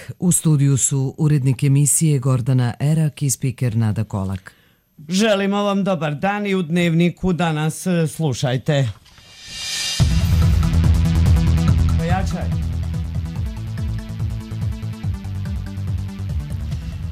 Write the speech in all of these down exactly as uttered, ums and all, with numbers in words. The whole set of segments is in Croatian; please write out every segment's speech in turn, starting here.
Dnevnik. U studiju su urednik emisije Gordana Erak i spiker Nada Kolak. Želimo vam dobar dan i u Dnevniku danas slušajte. Pojačaj.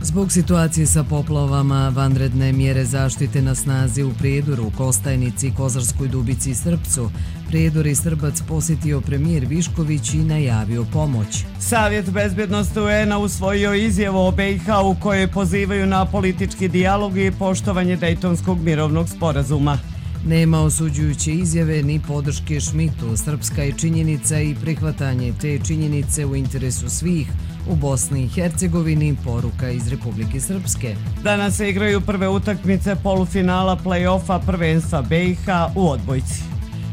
Zbog situacije sa poplavama, vanredne mjere zaštite na snazi u Prijedoru, Kostajnici, Kozarskoj Dubici i Srpcu. Prijedor i Srbac posjetio premijer Višković i najavio pomoć. Savjet bezbjednosti U N-a usvojio izjavu o B i H u kojoj pozivaju na politički dijalog i poštovanje Dejtonskog mirovnog sporazuma. Nema osuđujuće izjave ni podrške Šmitu. Srpska je činjenica i prihvatanje te činjenice u interesu svih. U Bosni i Hercegovini poruka iz Republike Srpske. Danas se igraju prve utakmice polufinala play-offa prvenstva B i H u odbojci.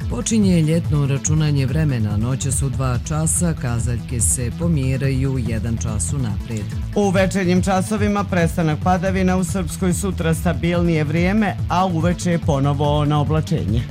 Počinje ljetno računanje vremena. Noća su dva časa, kazaljke se pomjeraju jedan čas unaprijed. U večernjim časovima prestanak padavina, u Srpskoj sutra stabilnije vrijeme, a uveče je ponovo na oblačenje.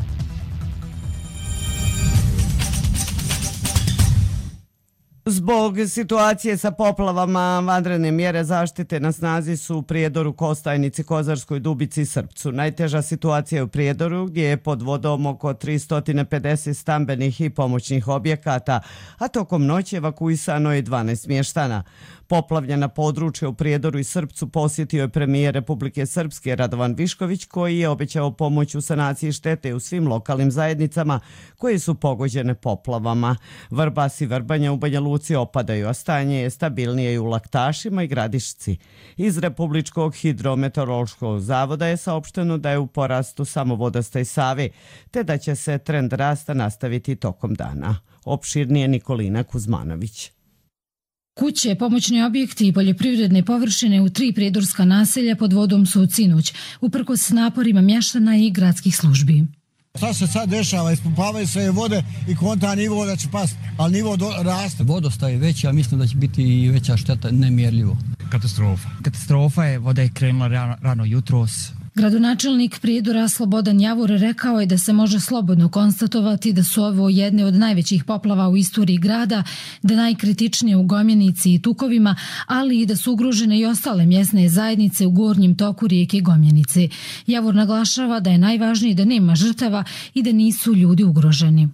Zbog situacije sa poplavama, vanredne mjere zaštite na snazi su u Prijedoru, Kostajnici, Kozarskoj Dubici i Srpcu. Najteža situacija je u Prijedoru, gdje je pod vodom oko tristo pedeset stambenih i pomoćnih objekata, a tokom noći evakuisano je dvanaest mještana. Poplavljena područja u Prijedoru i Srpcu posjetio je premijer Republike Srpske Radovan Višković, koji je obećao pomoć u sanaciji štete u svim lokalnim zajednicama koje su pogođene poplavama. Vrbas i Vrbanja u Banja Luci opadaju, a stanje je stabilnije i u Laktašima i Gradišci. Iz Republičkog hidrometeorološkog zavoda je saopšteno da je u porastu samo vodostaj Save, te da će se trend rasta nastaviti tokom dana. Opširnije Nikolina Kuzmanović. Kuće, pomoćni objekti i poljoprivredne površine u tri prijedorska naselja pod vodom su od sinoć, uprkos naporima mještana i gradskih službi. Šta se sad dešava? Ispumpavaju se vode i konta nivo da će pasti, ali nivo do, raste. Vodostaj je veći, a mislim da će biti i veća šteta, nemjerljivo. Katastrofa. Katastrofa je, voda je krenula rano, rano jutros. Gradonačelnik Prijedora Slobodan Javor rekao je da se može slobodno konstatovati da su ovo jedne od najvećih poplava u istoriji grada, da najkritičnije u Gomjenici i Tukovima, ali i da su ugrožene i ostale mjesne zajednice u gornjem toku rijeke Gomjenice. Javor naglašava da je najvažnije da nema žrtava i da nisu ljudi ugroženi.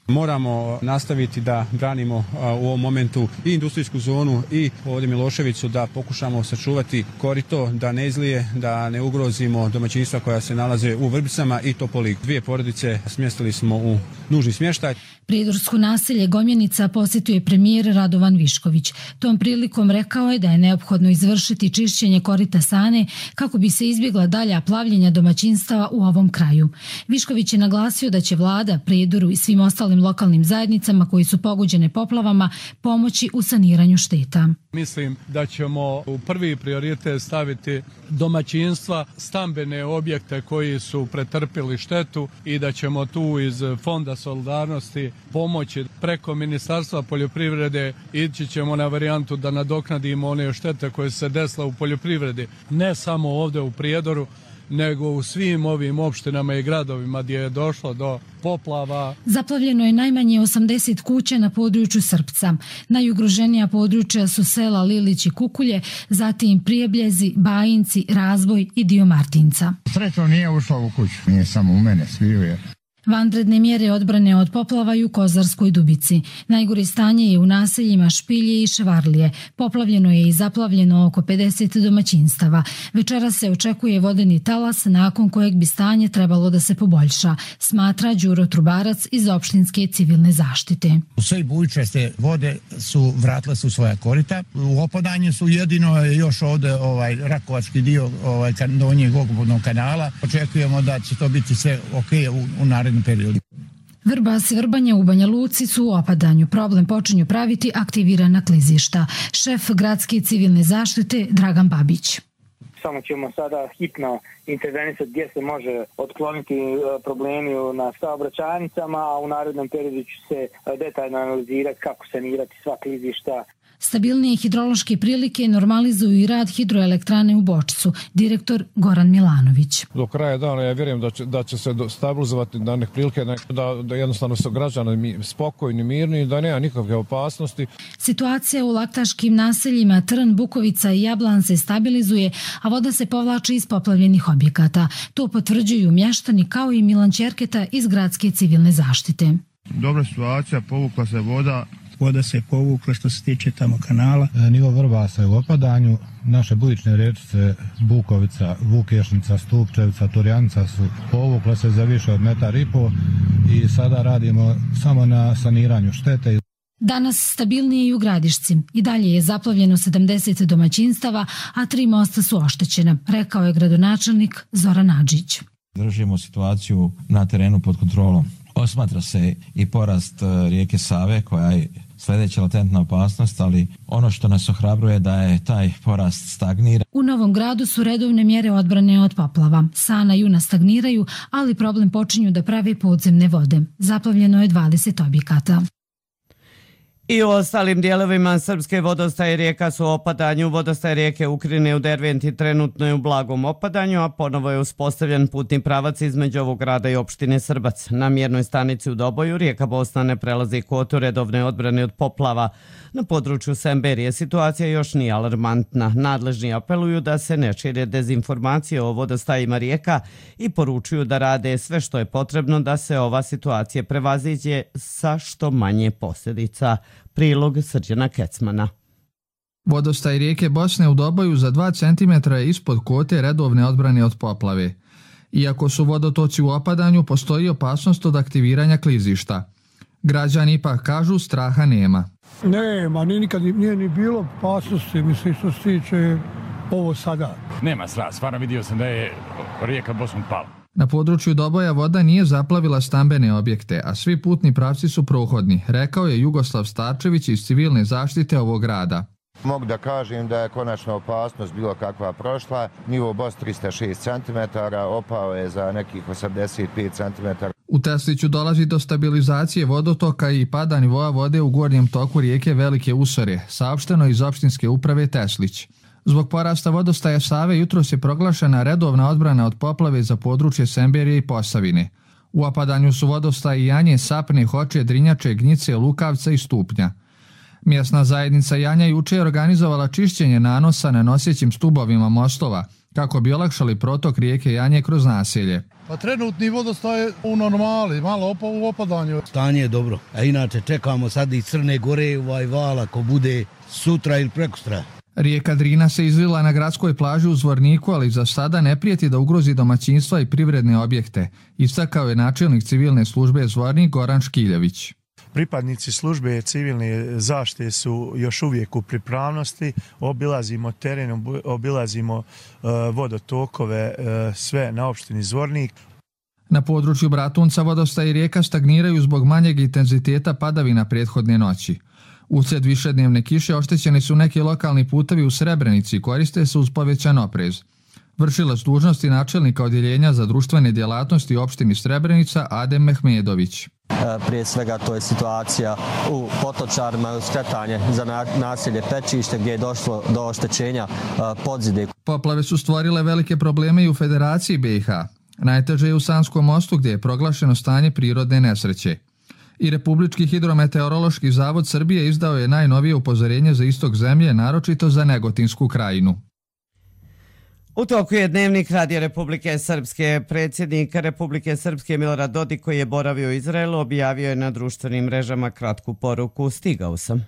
Moramo nastaviti da branimo u ovom momentu i industrijsku zonu i ovdje Miloševicu, da pokušamo sačuvati korito, da ne izlije, da ne ugrozimo domaćinstva koja se nalaze u Vrbicama i Topoli. Dvije porodice smjestili smo u nužni smještaj. Prijedorsko naselje Gomjenica posjetio je premijer Radovan Višković. Tom prilikom rekao je da je neophodno izvršiti čišćenje korita Sane kako bi se izbjegla dalja plavljenja domaćinstava u ovom kraju. Višković je naglasio da će vlada Prijedoru i svim ostalim lokalnim zajednicama koji su pogođene poplavama pomoći u saniranju šteta. Mislim da ćemo u prvi prioritet staviti domaćinstva, stambene objekte koji su pretrpili štetu i da ćemo tu iz Fonda solidarnosti pomoći preko Ministarstva poljoprivrede. Ići ćemo na varijantu da nadoknadimo one štete koje se desile u poljoprivredi, ne samo ovdje u Prijedoru, nego u svim ovim opštinama i gradovima gdje je došlo do poplava. Zaplavljeno je najmanje osamdeset kuća na području Srpca. Najugroženija područja su sela Lilić i Kukulje, zatim Prijebljezi, Bajinci, Razboj i dio Martinca. Srećno nije ušlo u kuću, nije samo u mene, sviju je. Vanredne mjere odbrane od poplava i u Kozarskoj Dubici. Najgore stanje je u naseljima Špilje i Ševarlije. Poplavljeno je i zaplavljeno oko pedeset domaćinstava. Večera se očekuje vodeni talas nakon kojeg bi stanje trebalo da se poboljša, smatra Đuro Trubarac iz opštinske civilne zaštite. Sve bujičaste vode su vratile su svoja korita. U opadanju su jedino još ovdje ovaj Rakovački dio ovaj donjeg okupnog kanala. Očekujemo da će to biti sve ok u, u narednom periodu. Vrbas i Vrbanja u Banja Luci su u opadanju. Problem počinju praviti aktivirana klizišta. Šef gradske civilne zaštite Dragan Babić. Samo ćemo sada hitno intervenisati gdje se može otkloniti problemi na saobraćajnicama, a u narednom periodu će se detaljno analizirati kako sanirati sva klizišta. Stabilnije hidrološke prilike normalizuju i rad hidroelektrane u Bočcu, direktor Goran Milanović. Do kraja dana ja vjerujem da će, da će se stabilizovati da nek prilike, da, da jednostavno su građani spokojni, mirni, da nema nikakve opasnosti. Situacija u laktaškim naseljima Trn, Bukovica i Jablan se stabilizuje, a voda se povlači iz poplavljenih objekata. To potvrđuju mještani kao i Milan Čerketa iz gradske civilne zaštite. Dobra situacija, povukla se voda. Voda se povukla što se tiče tamo kanala. E, nivo Vrbasa je u opadanju. Naše bujične rečice Bukovica, Vukešnica, Stupčevica, Turjanica su povukla se za više od metar i po i sada radimo samo na saniranju štete. Danas stabilnije i u Gradišci. I dalje je zaplavljeno sedamdeset domaćinstava, a tri mosta su oštećena, rekao je gradonačelnik Zoran Adžić. Držimo situaciju na terenu pod kontrolom. Osmatra se i porast rijeke Save koja je sljedeća latentna opasnost, ali ono što nas ohrabruje da je taj porast stagnira. U Novom Gradu su redovne mjere odbrane od poplava. Sana i Una stagniraju, ali problem počinju da prave podzemne vode. Zaplavljeno je dvadeset objekata. I u ostalim dijelovima Srpske vodostaje rijeka su u opadanju. Vodostaje rijeke Ukrine u Derventi trenutno je u blagom opadanju, a ponovo je uspostavljen putni pravac između ovog grada i opštine Srbac. Na mjernoj stanici u Doboju rijeka Bosna ne prelazi kvotu redovne odbrane od poplava. Na području Semberije situacija još nije alarmantna. Nadležni apeluju da se ne šire dezinformacije o vodostajima rijeka i poručuju da rade sve što je potrebno da se ova situacija prevaziđe sa što manje posljedica. Prilog Srđana Kecmana. Vodostaj rijeke Bosne u Doboju za dva centimetra je ispod kvote redovne odbrane od poplave. Iako su vodotoci u opadanju, postoji opasnost od aktiviranja klizišta. Građani ipak kažu straha nema. Nema, nije nikad nije ni bilo opasnosti, mislim što se tiče ovo sada. Nema straha, stvarno vidio sam da je rijeka Bosnom pala. Na području Doboja voda nije zaplavila stambene objekte, a svi putni pravci su prohodni, rekao je Jugoslav Starčević iz civilne zaštite ovog grada. Mogu da kažem da je konačno opasnost bilo kakva prošla. Nivo Bos trista šest centimetara, opao je za nekih osamdeset pet centimetara. U Tesliću dolazi do stabilizacije vodotoka i pada nivoa vode u gornjem toku rijeke Velike Usore, saopšteno iz opštinske uprave Teslić. Zbog porasta vodostaja Save jutros je proglašena redovna odbrana od poplave za područje Semberije i Posavine. U opadanju su vodostaji Janje, Sapne, Hoče, Drinjače, Gnjice, Lukavca i Stupnja. Mjesna zajednica Janja juče je organizovala čišćenje nanosa na nosećim stubovima mostova, kako bi olakšali protok rijeke Janje kroz naselje. Pa trenutni vodostaj je u normali, malo u opadanju. Stanje je dobro, a inače čekamo sad i Crne Gore ovaj val ako bude sutra ili prekustra. Rijeka Drina se izlila na gradskoj plaži u Zvorniku, ali za sada ne prijeti da ugrozi domaćinstva i privredne objekte, istakao je načelnik civilne službe Zvornik Goran Škiljević. Pripadnici službe civilne zaštite su još uvijek u pripravnosti, obilazimo teren, obilazimo uh, vodotokove, uh, sve na opštini Zvornik. Na području Bratunca vodostaj i rijeka stagniraju zbog manjeg intenziteta padavina prethodne noći. Uslijed višednevne kiše oštećeni su neki lokalni putevi u Srebrenici i koriste se uz povećan oprez. Vršilac dužnosti načelnika odjeljenja za društvene djelatnosti opštini Srebrenica Adem Mehmedović. Prije svega to je situacija u Potočarima, skretanje za naselje Pečište gdje je došlo do oštećenja podzide. Poplave su stvorile velike probleme i u Federaciji B i H. Najteže je u Sanskom mostu gdje je proglašeno stanje prirodne nesreće. I Republički hidrometeorološki zavod Srbije izdao je najnovije upozorenje za istok zemlje, naročito za Negotinsku krajinu. U toku je dnevnik Radija Republike Srpske. Predsjednik Republike Srpske Milorad Dodik, koji je boravio u Izraelu, objavio je na društvenim mrežama kratku poruku: "Stigao sam."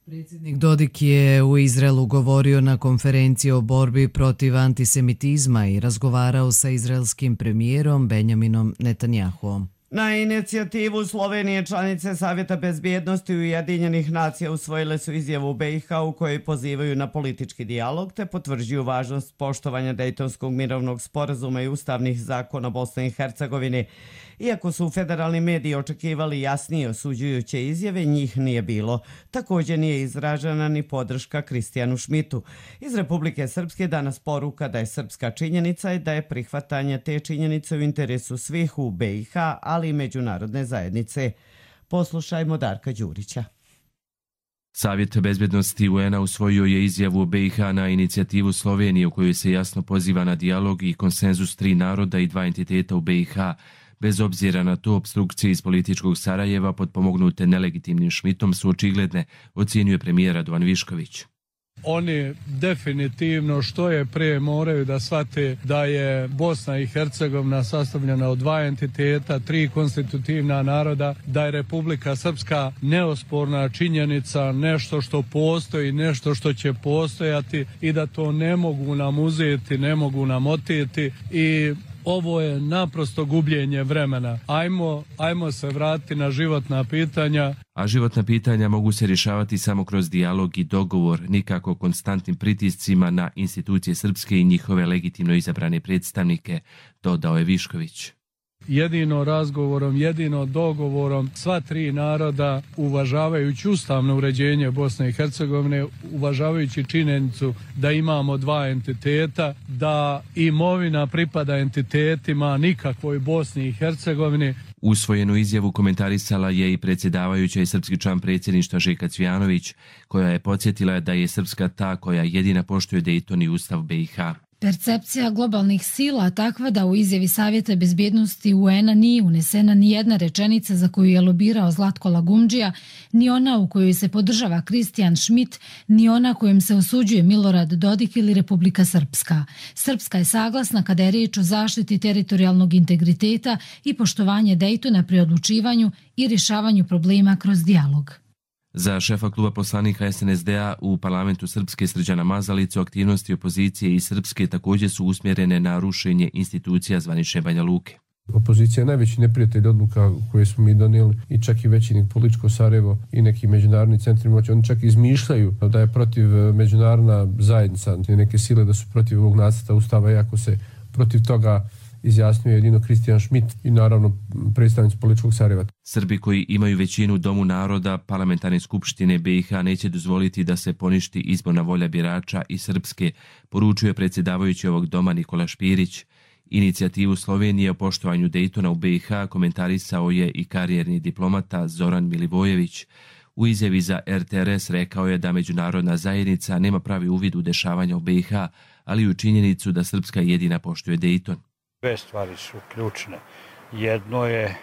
Predsjednik Dodik je u Izraelu govorio na konferenciji o borbi protiv antisemitizma i razgovarao sa izraelskim premijerom Benjaminom Netanjahuom. Na inicijativu Slovenije članice Savjeta bezbjednosti Ujedinjenih nacija usvojile su izjavu B i H u kojoj pozivaju na politički dijalog te potvrđuju važnost poštovanja Dejtonskog mirovnog sporazuma i ustavnih zakona Bosne i Hercegovine. Iako su federalni mediji očekivali jasnije osuđujuće izjave, njih nije bilo. Također nije izražena ni podrška Kristijanu Šmitu. Iz Republike Srpske danas poruka da je srpska činjenica i da je prihvatanje te činjenice u interesu svih u B i H, ali i međunarodne zajednice. Poslušajmo Darka Đurića. Savjet bezbednosti U N-a usvojio je izjavu B i H na inicijativu Slovenije u kojoj se jasno poziva na dijalog i konsenzus tri naroda i dva entiteta u B i H. Bez obzira na to, opstrukcije iz političkog Sarajeva potpomognute nelegitimnim Šmitom su očigledne, ocjenjuje premijer Radovan Višković. Oni definitivno što je prije moraju da shvate da je Bosna i Hercegovina sastavljena od dva entiteta, tri konstitutivna naroda, da je Republika Srpska neosporna činjenica, nešto što postoji, nešto što će postojati i da to ne mogu nam uzeti, ne mogu nam oteti i ovo je naprosto gubljenje vremena. Ajmo, ajmo se vratiti na životna pitanja. A životna pitanja mogu se rješavati samo kroz dijalog i dogovor, nikako konstantnim pritiscima na institucije srpske i njihove legitimno izabrane predstavnike, dodao je Višković. Jedino razgovorom, jedino dogovorom sva tri naroda, uvažavajući ustavno uređenje Bosne i Hercegovine, uvažavajući činjenicu da imamo dva entiteta, da imovina pripada entitetima, nikakvoj Bosni i Hercegovini. Usvojenu izjavu komentarisala je i predsjedavajuća i srpski član predsjedništva Željka Cvijanović, koja je podsjetila da je Srpska ta koja jedina poštuje Dejton i Ustav B i H. Percepcija globalnih sila takva da u izjavi Savjeta bezbjednosti U N-a nije unesena ni jedna rečenica za koju je lobirao Zlatko Lagumdžija, ni ona u kojoj se podržava Kristijan Šmit, ni ona kojom se osuđuje Milorad Dodik ili Republika Srpska. Srpska je saglasna kada je riječ o zaštiti teritorijalnog integriteta i poštovanje Dejtona pri odlučivanju i rješavanju problema kroz dijalog. Za šefa kluba poslanika S N S D-a u parlamentu Srpske Srđana Mazalicu aktivnosti opozicije i Srpske također su usmjerene na rušenje institucija zvanične Banja Luke. Opozicija je najveći neprijatelj odluka koje smo mi donijeli i čak i veći političko Sarajevo i neki međunarodni centri moći. Oni čak izmišljaju da je protiv međunarodna zajednica, neke sile da su protiv ovog nacrta ustava, iako se protiv toga izjasnio jedino Kristijan Šmit i naravno predstavnici političkog Sarajeva. Srbi koji imaju većinu u Domu naroda parlamentarne skupštine B i H neće dozvoliti da se poništi izborna volja birača i Srpske, poručuje predsjedavajući ovog doma Nikola Špirić. Inicijativu Slovenije o poštovanju Dejtona u B i H komentarisao je i karijerni diplomata Zoran Milivojević. U izjavi za R T R S rekao je da međunarodna zajednica nema pravi uvid u dešavanja u B i H, ali i u činjenicu da Srpska jedina poštuje Dejton. Dve stvari su ključne. Jedno je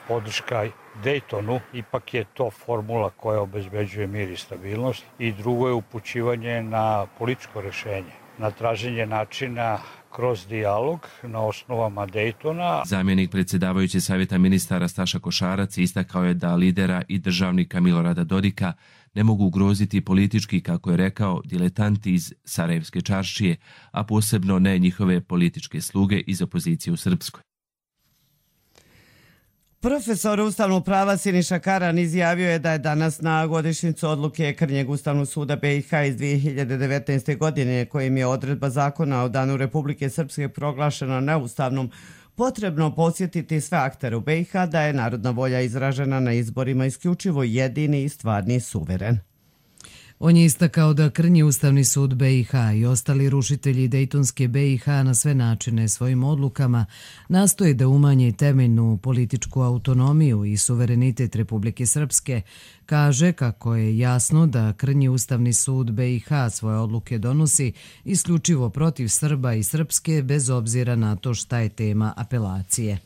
podrška Dejtonu, ipak je to formula koja obezbeđuje mir i stabilnost. I drugo je upućivanje na političko rješenje, na traženje načina kroz dijalog na osnovama Dejtona. Zamjenik predsjedavajuće savjeta ministara Staša Košarac istakao je da lidera i državnika Milorada Dodika ne mogu ugroziti politički, kako je rekao, diletanti iz Sarajevske čaršije, a posebno ne njihove političke sluge iz opozicije u Srpskoj. Profesor ustavnog prava Siniša Karan izjavio je da je danas na godišnjicu odluke Krnjeg ustavnog suda B i H iz dvije hiljade devetnaeste. godine, kojim je odredba zakona o Danu Republike Srpske proglašena neustavnom, potrebno podsjetiti sve aktere u B i H da je narodna volja izražena na izborima isključivo jedini i stvarni suveren. On je istakao da Krnji ustavni sud B i H i ostali rušitelji Dejtonske B i H na sve načine svojim odlukama nastoje da umanje temeljnu političku autonomiju i suverenitet Republike Srpske. Kaže kako je jasno da Krnji ustavni sud B i H svoje odluke donosi isključivo protiv Srba i Srpske bez obzira na to šta je tema apelacije.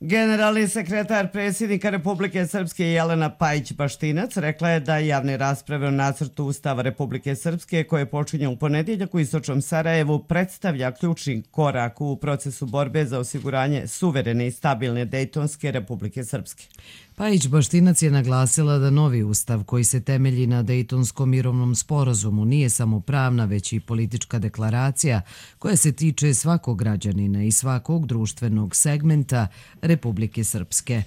Generalni sekretar predsjednika Republike Srpske Jelena Pajić-Baštinac rekla je da javne rasprave o nacrtu Ustava Republike Srpske, koje počinje u ponedjeljak u istočnom Sarajevu, predstavlja ključni korak u procesu borbe za osiguranje suverene i stabilne Dejtonske Republike Srpske. Pajić-Baštinac je naglasila da novi ustav koji se temelji na Dejtonskom mirovnom sporazumu nije samo pravna, već i politička deklaracija koja se tiče svakog građanina i svakog društvenog segmenta Republike Srpske.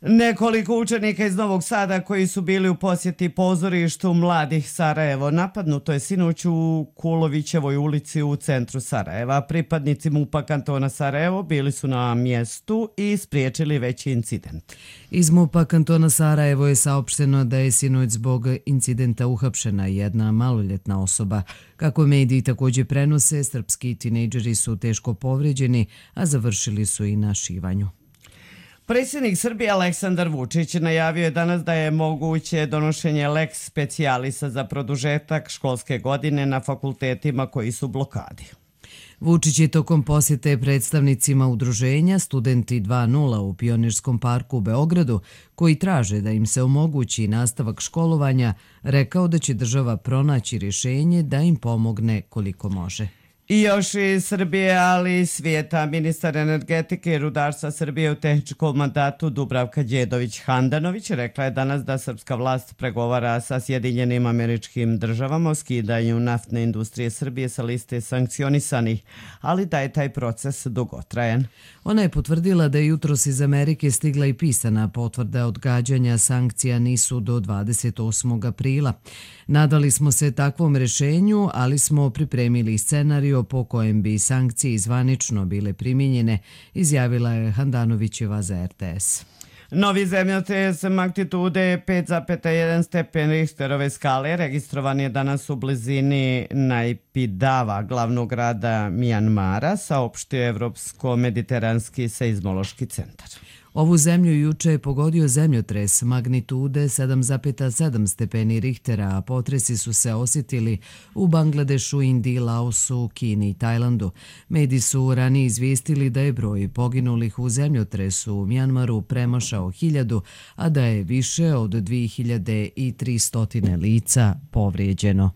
Nekoliko učenika iz Novog Sada koji su bili u posjeti pozorištu Mladih Sarajevo napadnuto je sinoć u Kulovićevoj ulici u centru Sarajeva. Pripadnici MUP-a kantona Sarajevo bili su na mjestu i spriječili veći incident. Iz MUP-a kantona Sarajevo je saopšteno da je sinoć zbog incidenta uhapšena jedna maloljetna osoba. Kako mediji također prenose, srpski tinejdžeri su teško povrijeđeni, a završili su i na šivanju. Predsjednik Srbije Aleksandar Vučić najavio je danas da je moguće donošenje lex specialisa za produžetak školske godine na fakultetima koji su u blokadi. Vučić je tokom posjete predstavnicima udruženja Studenti dva nula u Pionirskom parku u Beogradu, koji traže da im se omogući nastavak školovanja, rekao da će država pronaći rješenje da im pomogne koliko može. I još iz Srbije, ali i svijeta, ministar energetike i rudarstva Srbije u tehničkom mandatu Dubravka Đedović-Handanović rekla je danas da srpska vlast pregovara sa Sjedinjenim Američkim Državama o skidanju naftne industrije Srbije sa liste sankcionisanih, ali da je taj proces dugotrajan. Ona je potvrdila da je jutros iz Amerike stigla i pisana potvrda odgađanja sankcija nisu do dvadeset osmog aprila. Nadali smo se takvom rješenju, ali smo pripremili scenarij po kojem bi sankcije zvanično bile primijenjene, izjavila je Handanovićeva za R T S. Novi zemljotres magnitude pet zarez jedan stepen Richterove skale registrovan je danas u blizini Najpidava, glavnog grada Mijanmara, saopštio Evropsko-mediteranski seizmološki centar. Ovu zemlju juče je pogodio zemljotres magnitude sedam zarez sedam stepeni Richtera, a potresi su se osjetili u Bangladešu, Indiji, Laosu, Kini i Tajlandu. Mediji su ranije izvijestili da je broj poginulih u zemljotresu u Mjanmaru premašao hiljadu, a da je više od dvije hiljade tristo lica povrijeđeno.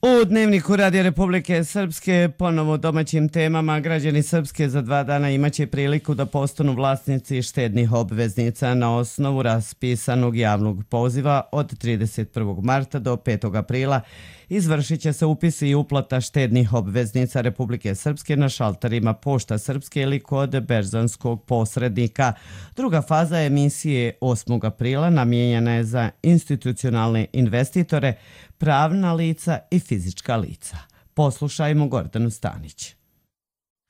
U Dnevniku Radija Republike Srpske, ponovo domaćim temama, građani Srpske za dva dana imaće priliku da postanu vlasnici štednih obveznica na osnovu raspisanog javnog poziva od trideset prvog marta do petog aprila. Izvršit će se upis i uplata štednih obveznica Republike Srpske na šalterima Pošta Srpske ili kod berzanskog posrednika. Druga faza emisije osmog aprila namijenjena je za institucionalne investitore, pravna lica i fizička lica. Poslušajmo Gordanu Stanić.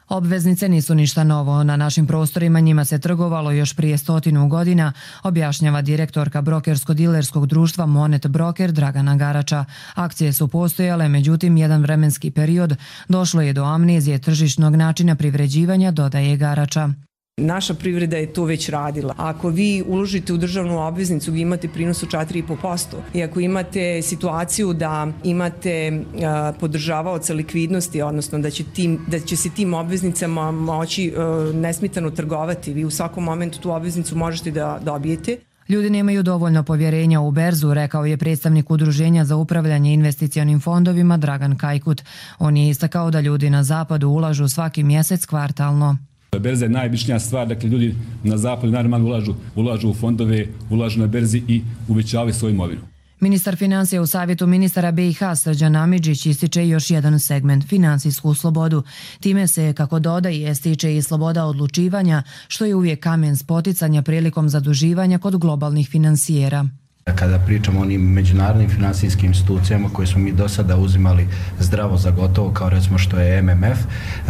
Obveznice nisu ništa novo. Na našim prostorima njima se trgovalo još prije stotinu godina, objašnjava direktorka brokersko-dilerskog društva Monet Broker Dragana Garača. Akcije su postojale, međutim jedan vremenski period došlo je do amnezije tržišnog načina privređivanja, dodaje Garača. Naša privreda je to već radila. Ako vi uložite u državnu obveznicu gdje imate prinos od četiri i po posto i ako imate situaciju da imate a, podržavaoca likvidnosti, odnosno da će, tim, da će se tim obveznicama moći a, nesmetano trgovati, vi u svakom momentu tu obveznicu možete da dobijete. Ljudi nemaju dovoljno povjerenja u berzu, rekao je predstavnik Udruženja za upravljanje investicionim fondovima Dragan Kajkut. On je istakao da ljudi na zapadu ulažu svaki mjesec kvartalno. Berza je najobičnija stvar, dakle ljudi na zapadu naravno ulažu, ulažu u fondove, ulažu na berzi i uvećavaju svoju imovinu. Ministar financija u savjetu ministara B i H Srđan Amidžić ističe još jedan segment, finansijsku slobodu. Time se, kako dodaje, stiče i sloboda odlučivanja, što je uvijek kamen spoticanja prilikom zaduživanja kod globalnih finansijera. Kada pričamo o onim međunarodnim finansijskim institucijama koje smo mi do sada uzimali zdravo za gotovo, kao recimo što je M M F,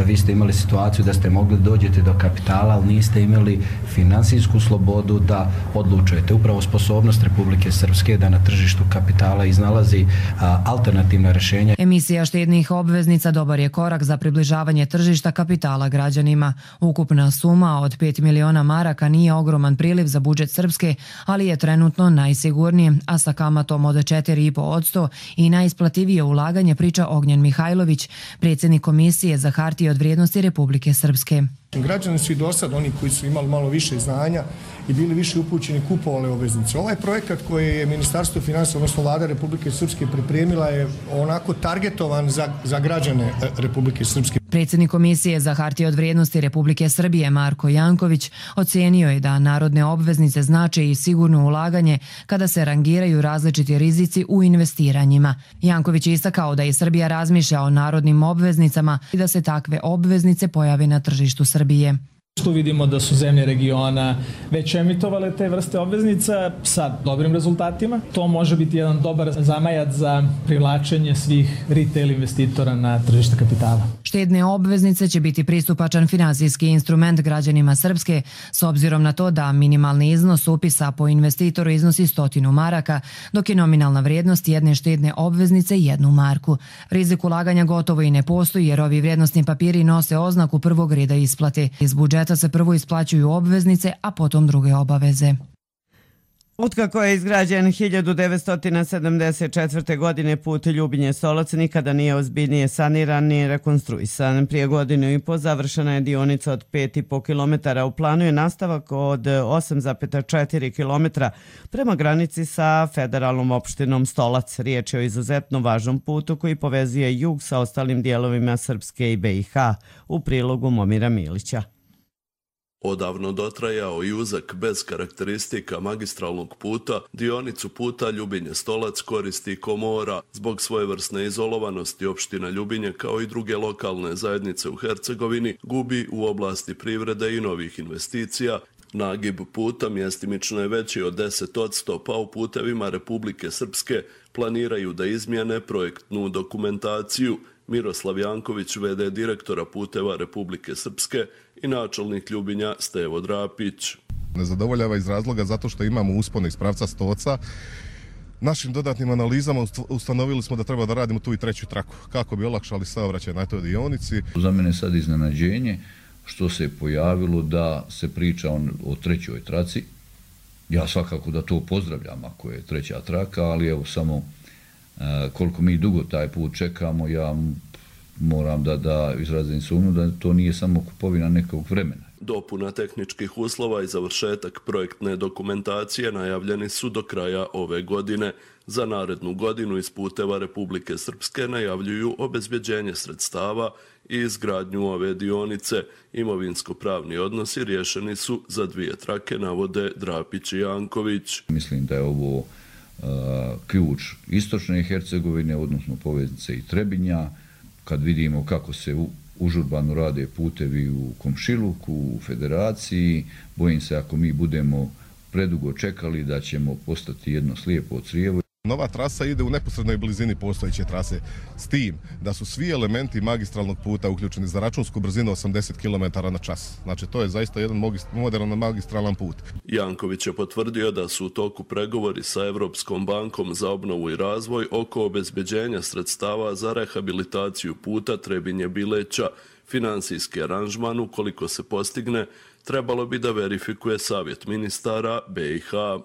vi ste imali situaciju da ste mogli dođeti do kapitala, ali niste imali finansijsku slobodu da odlučujete. Upravo sposobnost Republike Srpske da na tržištu kapitala iznalazi a, alternativna rješenja. Emisija štednih obveznica dobar je korak za približavanje tržišta kapitala građanima. Ukupna suma od pet miliona maraka nije ogroman priliv za budžet Srpske, ali je trenutno najsigurnije, a sa kamatom od četiri i po posto i najisplativije ulaganje, priča Ognjen Mihajlović, predsjednik Komisije za hartije od vrijednosti Republike Srpske. Građani su i do sad, oni koji su imali malo više znanja i bili više upućeni, kupovali obveznice. Ovaj projekat koji je Ministarstvo financija, odnosno Vlada Republike Srpske pripremila je onako targetovan za, za građane Republike Srpske. Predsjednik Komisije za hartije od vrijednosti Republike Srbije Marko Janković ocenio je da narodne obveznice znače i sigurno ulaganje kada se rangiraju različiti rizici u investiranjima. Janković je istakao da i Srbija razmišlja o narodnim obveznicama i da se takve obveznice pojave na tržištu Srbije. Tu vidimo da su zemlje regiona već emitovale te vrste obveznica sa dobrim rezultatima. To može biti jedan dobar zamajac za privlačenje svih retail investitora na tržište kapitala. Štedne obveznice će biti pristupačan finansijski instrument građanima Srpske s obzirom na to da minimalni iznos upisa po investitoru iznosi stotinu maraka, dok je nominalna vrijednost jedne štedne obveznice jednu marku. Rizik ulaganja gotovo i ne postoji jer ovi vrijednosni papiri nose oznaku prvog reda isplate. Iz budžeta se prvo isplaćuju obveznice, a potom druge obaveze. Otkako je izgrađen hiljadu devetsto sedamdeset četvrte. godine put Ljubinje-Stolac nikada nije ozbiljnije saniran ni rekonstruisan. Prije godinu i po završena je dionica od pet i po kilometara. U planu je nastavak od osam zarez četiri kilometra prema granici sa federalnom opštinom Stolac. Riječ je o izuzetno važnom putu koji povezuje jug sa ostalim dijelovima Srpske i B i H. U prilogu Momira Milića. Odavno dotrajao i uzak bez karakteristika magistralnog puta, dionicu puta Ljubinje-Stolac koristi Komora. Zbog svojevrsne izolovanosti opština Ljubinje kao i druge lokalne zajednice u Hercegovini gubi u oblasti privrede i novih investicija. Nagib puta mjestimično je veći od deset posto, pa u putevima Republike Srpske planiraju da izmjene projektnu dokumentaciju. Miroslav Janković, v d direktora puteva Republike Srpske i načelnik Ljubinja Stevo Drapić. Ne zadovoljava iz razloga zato što imamo uspone iz pravca Stoca. Našim dodatnim analizama ustanovili smo da treba da radimo tu i treću traku, kako bi olakšali saobraćaj na toj dionici. Za mene sad iznenađenje što se pojavilo da se priča o trećoj traci. Ja svakako da to pozdravljam ako je treća traka, ali evo samo koliko mi dugo taj put čekamo, ja moram da, da izrazim sumnju da to nije samo kupovina nekog vremena. Dopuna tehničkih uslova i završetak projektne dokumentacije najavljeni su do kraja ove godine. Za narednu godinu iz puteva Republike Srpske najavljuju obezbjeđenje sredstava i izgradnju ove dionice. Imovinsko-pravni odnosi riješeni su za dvije trake, navode Drapić i Janković. Mislim da je ovo uh, ključ istočne Hercegovine, odnosno poveznice i Trebinja. Kad vidimo kako se u, užurbano rade putevi u Komšiluku, u Federaciji, bojim se ako mi budemo predugo čekali da ćemo postati jedno slijepo crijevo. Nova trasa ide u neposrednoj blizini postojeće trase, s tim da su svi elementi magistralnog puta uključeni za računsku brzinu osamdeset kilometara na čas. Znači to je zaista jedan moderan magistralan put. Janković je potvrdio da su u toku pregovori sa Evropskom bankom za obnovu i razvoj oko obezbeđenja sredstava za rehabilitaciju puta Trebinje-Bileća. Finansijski aranžman, ukoliko se postigne, trebalo bi da verifikuje Savjet ministara B i H.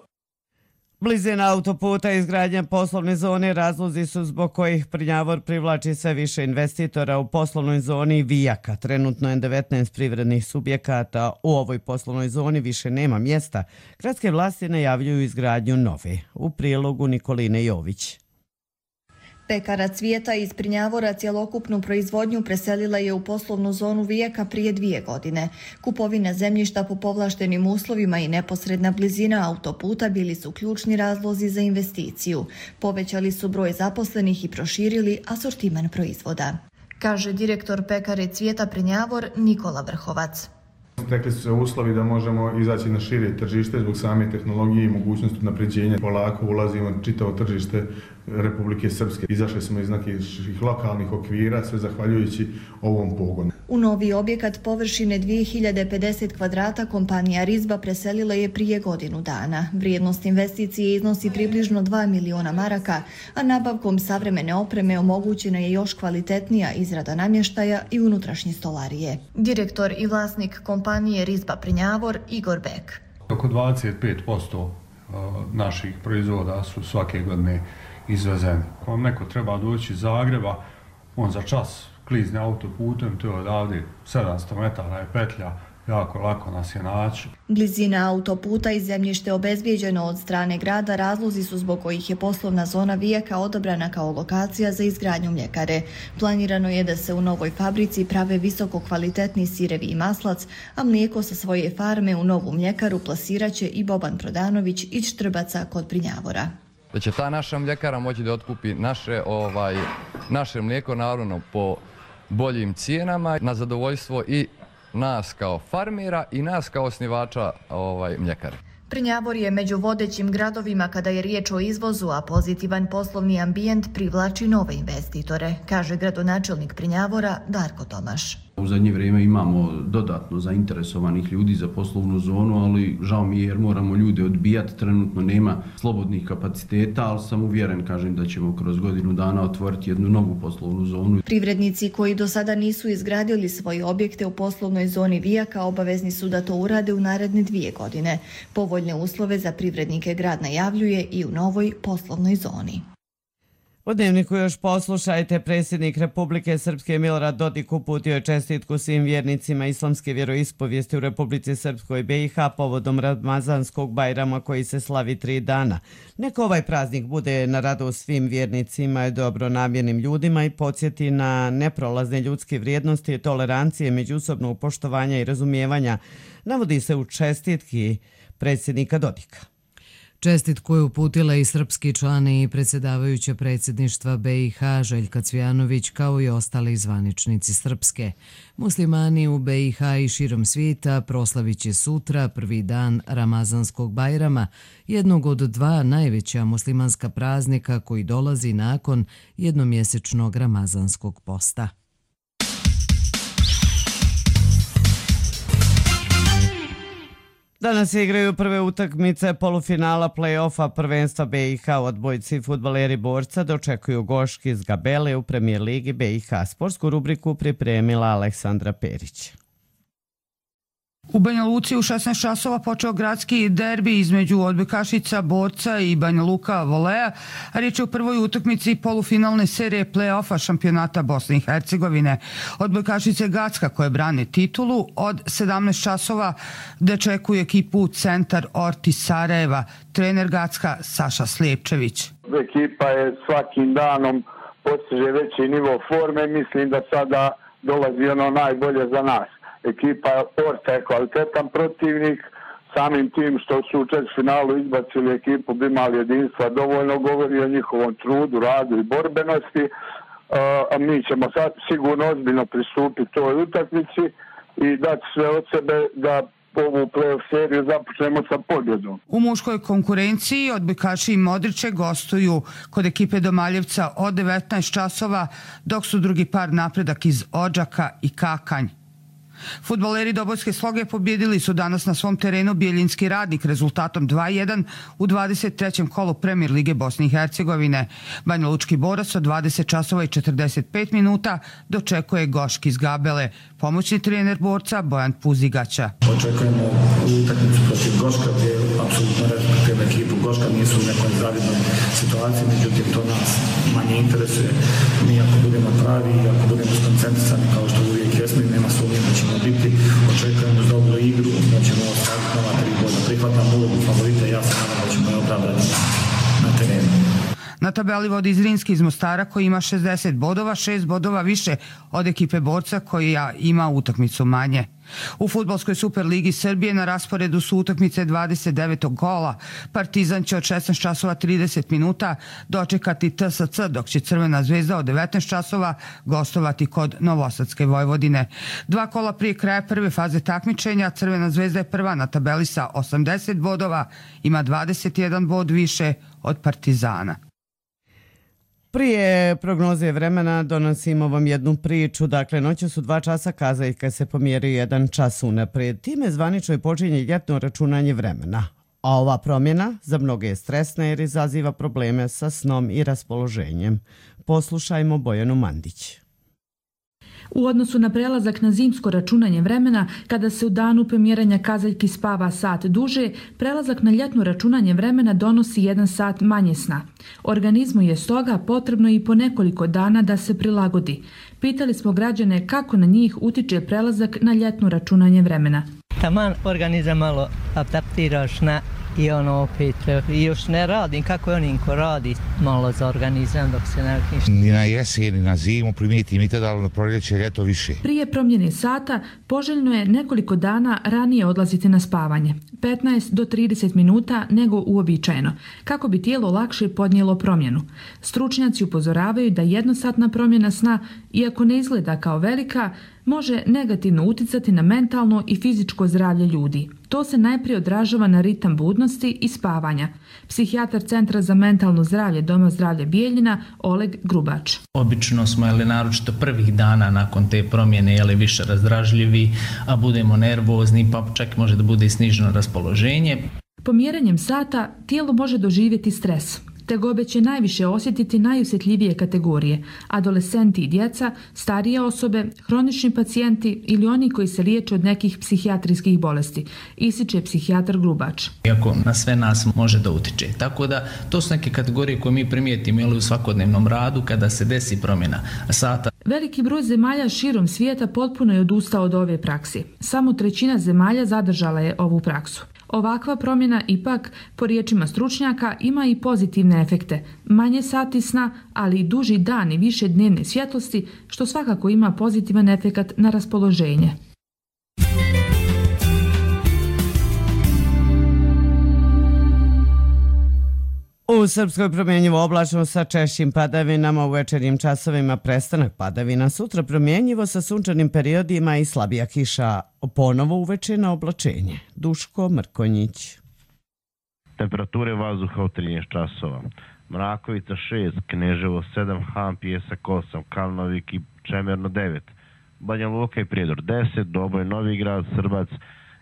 Blizina autoputa i izgradnja poslovne zone razlozi su zbog kojih Prnjavor privlači sve više investitora. U poslovnoj zoni Vijaka trenutno je devetnaest privrednih subjekata. U ovoj poslovnoj zoni više nema mjesta. Gradske vlasti najavljuju izgradnju nove. U prilogu Nikoline Jović. Pekara Cvijeta iz Prnjavora cjelokupnu proizvodnju preselila je u poslovnu zonu Vijeka prije dvije godine. Kupovina zemljišta po povlaštenim uslovima i neposredna blizina autoputa bili su ključni razlozi za investiciju. Povećali su broj zaposlenih i proširili asortiman proizvoda, kaže direktor Pekare Cvijeta Prnjavor Nikola Vrhovac. Stekli su se uslovi da možemo izaći na šire tržište zbog same tehnologije i mogućnosti napređenja. Polako ulazimo na čitavo tržište Republike Srpske. Izašli smo iz nekih lokalnih okvira, sve zahvaljujući ovom pogonu. U novi objekat površine dvije hiljade pedeset kvadrata kompanija Rizba preselila je prije godinu dana. Vrijednost investicije iznosi približno dva miliona maraka, a nabavkom savremene opreme omogućena je još kvalitetnija izrada namještaja i unutrašnje stolarije. Direktor i vlasnik kompanije Rizba Prnjavor Igor Bek. Oko dvadeset pet posto naših proizvoda su svake godine izvezeni. Ako vam neko treba doći iz Zagreba, on za čas klizne autoputem, to je odavde sedamsto metara je petlja, jako lako nas je naći. Blizina autoputa i zemljište obezbijeđeno od strane grada razlozi su zbog kojih je poslovna zona Vijeka odabrana kao lokacija za izgradnju mljekare. Planirano je da se u novoj fabrici prave visoko kvalitetni sirevi i maslac, a mlijeko sa svoje farme u novu mljekaru plasiraće i Boban Prodanović iz Štrbaca kod Prnjavora. Da će ta naša mljekara moći da otkupi naše, ovaj, naše mlijeko naravno po boljim cijenama na zadovoljstvo i nas kao farmera i nas kao osnivača ovaj, mljekare. Prnjavor je među vodećim gradovima kada je riječ o izvozu, a pozitivan poslovni ambijent privlači nove investitore, kaže gradonačelnik Prnjavora Darko Tomaš. U zadnje vrijeme imamo dodatno zainteresovanih ljudi za poslovnu zonu, ali žao mi je jer moramo ljude odbijati, trenutno nema slobodnih kapaciteta, ali sam uvjeren, kažem, da ćemo kroz godinu dana otvoriti jednu novu poslovnu zonu. Privrednici koji do sada nisu izgradili svoje objekte u poslovnoj zoni Vijaka obavezni su da to urade u naredne dvije godine. Povoljne uslove za privrednike grad najavljuje i u novoj poslovnoj zoni. U Dnevniku još poslušajte, predsjednik Republike Srpske Milorad Dodik uputio je čestitku svim vjernicima islamske vjeroispovijesti u Republici Srpskoj B i H povodom Ramazanskog Bajrama koji se slavi tri dana. Neka ovaj praznik bude na radost svim vjernicima i dobronamjernim ljudima i podsjeti na neprolazne ljudske vrijednosti, tolerancije, međusobnog poštovanja i razumijevanja, navodi se u čestitki predsjednika Dodika. Čestitku je uputila i srpski član i predsjedavajuća predsjedništva B i H Željka Cvijanović kao i ostali zvaničnici Srpske. Muslimani u B i H i širom svijeta proslavit će sutra prvi dan Ramazanskog Bajrama, jednog od dva najveća muslimanska praznika koji dolazi nakon jednomjesečnog Ramazanskog posta. Danas se igraju prve utakmice polufinala play-offa prvenstva B i H. Odbojci fudbaleri Borca dočekuju Goški iz Gabele u premijer ligi B i H. Sportsku rubriku pripremila Aleksandra Perić. U Banja Luci u šesnaest časova počeo gradski derbi između odbojkašica Borca i Banja Luka Volea. Riječ je o prvoj utakmici polufinalne serije play-offa šampionata Bosne i Hercegovine. Odbojkašice Gacka koje brane titulu od sedamnaest časova dočekuje ekipu Centar Orti Sarajeva. Trener Gacka Saša Slijepčević. Ekipa je svakim danom postiže veći nivo forme. Mislim da sada dolazi ono najbolje za nas. Ekipa Orta je kvalitetan protivnik, samim tim što su u četvrtfinalu izbacili ekipu bi imali jedinstva, dovoljno govori o njihovom trudu, radu i borbenosti. A mi ćemo sad sigurno ozbiljno pristupiti toj utakmici i dati sve od sebe da ovu play-off seriju započnemo sa pobjedom. U muškoj konkurenciji odbojkaši i Modriće gostuju kod ekipe Domaljevca od devetnaest časova, dok su drugi par napredak iz Odžaka i Kakanj. Fudbaleri Dobojske Sloge pobjedili su danas na svom terenu Bijeljinski Radnik rezultatom dva jedan u dvadeset trećem kolu Premijer lige Bosne i Hercegovine. Banja Lučki Borac od dvadeset časova i četrdeset pet minuta dočekuje Goški iz Gabele. Pomoćni trener Borca Bojan Puzigaća. Očekujemo utakmicu protiv Goška gdje apsolutno respektivna ekipu. Goška nisu u nekoj zavidnoj situaciji, međutim to nas manje interesuje. Mi ako budemo pravi i ako budemo skoncentrisani kao što uvijek jesmo i nema sumnje da ćemo biti, očekujemo dobru igru, da ćemo ostaviti nova tri boda. Prihvatam ulogu favorita i ja se nadam da ćemo je opravdati na terenu. Na tabeli vodi Zrinski iz Mostara koji ima šezdeset bodova, šest bodova više od ekipe Borca koja ima utakmicu manje. U fudbalskoj Superligi Srbije na rasporedu su utakmice dvadeset devetog kola. Partizan će od šesnaest časova trideset minuta dočekati T S C, dok će Crvena zvezda od devetnaest časova gostovati kod Novosadske Vojvodine. Dva kola prije kraja prve faze takmičenja Crvena zvezda je prva na tabeli sa osamdeset bodova, ima dvadeset jedan bod više od Partizana. Prije prognoze vremena donosimo vam jednu priču. Dakle, noću su dva časa kazaljka se pomjeri jedan čas unaprijed. Time zvanično je počinje ljetno računanje vremena. A ova promjena za mnoge je stresna jer izaziva probleme sa snom i raspoloženjem. Poslušajmo Bojanu Mandić. U odnosu na prelazak na zimsko računanje vremena, kada se u danu pomjeranja kazaljki spava sat duže, prelazak na ljetno računanje vremena donosi jedan sat manje sna. Organizmu je stoga potrebno i po nekoliko dana da se prilagodi. Pitali smo građane kako na njih utiče prelazak na ljetno računanje vremena. Taman organizam malo adaptiraš na i ono opet i još ne radim kako je onim ko radi malo za organizam dok se ne ništa. Ni na jesen, ni na zimu primijetim i tada na proljeće, ljeto više. Prije promjene sata poželjno je nekoliko dana ranije odlaziti na spavanje, petnaest do trideset minuta nego uobičajeno, kako bi tijelo lakše podnijelo promjenu. Stručnjaci upozoravaju da jednosatna promjena sna, iako ne izgleda kao velika, može negativno uticati na mentalno i fizičko zdravlje ljudi. To se najprije odražava na ritam budnosti i spavanja. Psihijatar Centra za mentalno zdravlje Doma zdravlja Bijeljina Oleg Grubač. Obično smo, jeli, naročito prvih dana nakon te promjene, jeli, više razdražljivi, a budemo nervozni, pa čak može da bude i sniženo raspoloženje. Pomjeranjem sata tijelo može doživjeti stres. Tegobe će najviše osjetiti najosjetljivije kategorije, adolescenti i djeca, starije osobe, hronični pacijenti ili oni koji se liječe od nekih psihijatrijskih bolesti, ističe psihijatar Grubač. Iako na sve nas može da utiče. Tako da to su neke kategorije koje mi primijetimo u svakodnevnom radu kada se desi promjena sata. Veliki broj zemalja širom svijeta potpuno je odustao od ove praksi. Samo trećina zemalja zadržala je ovu praksu. Ovakva promjena ipak, po riječima stručnjaka, ima i pozitivne efekte. Manje sati sna, ali i duži dan i više dnevne svjetlosti, što svakako ima pozitivan efekat na raspoloženje. U Srpskoj promjenjivo oblačno sa češćim padavinama, u večernjim časovima prestanak padavina, sutra promjenjivo sa sunčanim periodima i slabija kiša, ponovo uveče na oblačenje. Duško Mrkonjić. Temperature vazduha u trinaest časova. Mrakovica šest, Kneževo sedam, Han, Pijesak osam, Kalnovik i Čemerno devet, Banja Luka i Prijedor deset, Doboj, Novi Grad, Srbac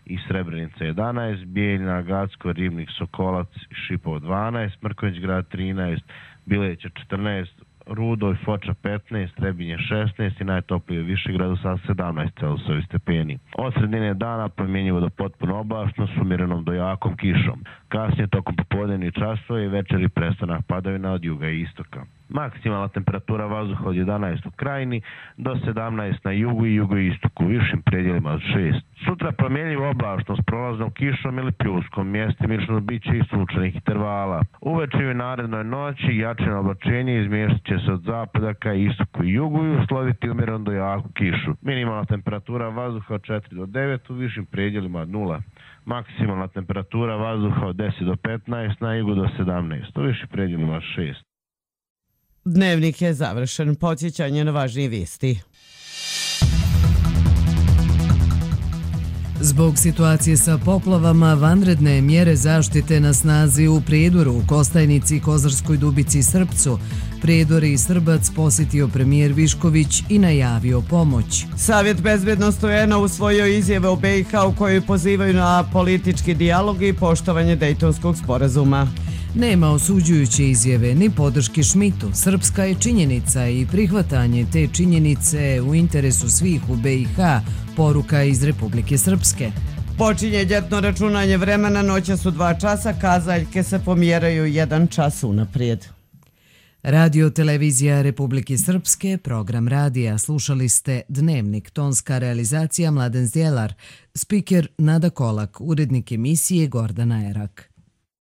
i Srebrenica jedanaest, Bijeljina, Gacko, Ribnik, Sokolac, Šipovo dvanaest, Mrkonjić grad trinaest, Bileća četrnaest, Rudo i Foča petnaest, Trebinje šesnaest i najtoplije u Višegradu sa sedamnaest Celzijusovih stepeni. Od sredine dana promjenjivo do potpuno oblačno s umjerenom do jakom kišom. Kasnije tokom popodnevnih časova i večeri prestanak padavina od juga i istoka. Maksimalna temperatura vazduha od jedanaest u Krajini do sedamnaest na jugu i jugoistoku, u višim predjelima od šest. Sutra promjenjivo oblačno s prolaznom kišom ili pljuskom, mjestimično biće i sunčanih intervala. Uveče i narednoj noći jačino oblačenje izmjestit će se od zapada ka istoku i jugu i usloviti umjereno do jaku kišu. Minimalna temperatura vazduha od četiri do devet, u višim predjelima od nula. Maksimalna temperatura vazduha od deset do petnaest, na jugu do sedamnaest, u višim predjelima od šest. Dnevnik je završen. Podsjećanje na važnije vijesti. Zbog situacije sa poplavama, vanredne mjere zaštite na snazi u Prijedoru, Kostajnici, Kozarskoj Dubici i Srpcu. Prijedor i Srbac posjetio premijer Višković i najavio pomoć. Savjet bezbjednosti U N-a usvojio izjave o B i H u kojoj pozivaju na politički dijalog i poštovanje Dejtonskog sporazuma. Nema osuđujuće izjave ni podrške Šmitu. Srpska je činjenica i prihvatanje te činjenice u interesu svih u B i H, poruka iz Republike Srpske. Počinje ljetno računanje vremena, noća su dva časa, kazaljke se pomjeraju jedan čas unaprijed. Radio televizija Republike Srpske, program radija. Slušali ste Dnevnik, tonska realizacija Mladen Zdjelar, spiker Nada Kolak, urednik emisije Gordana Erak.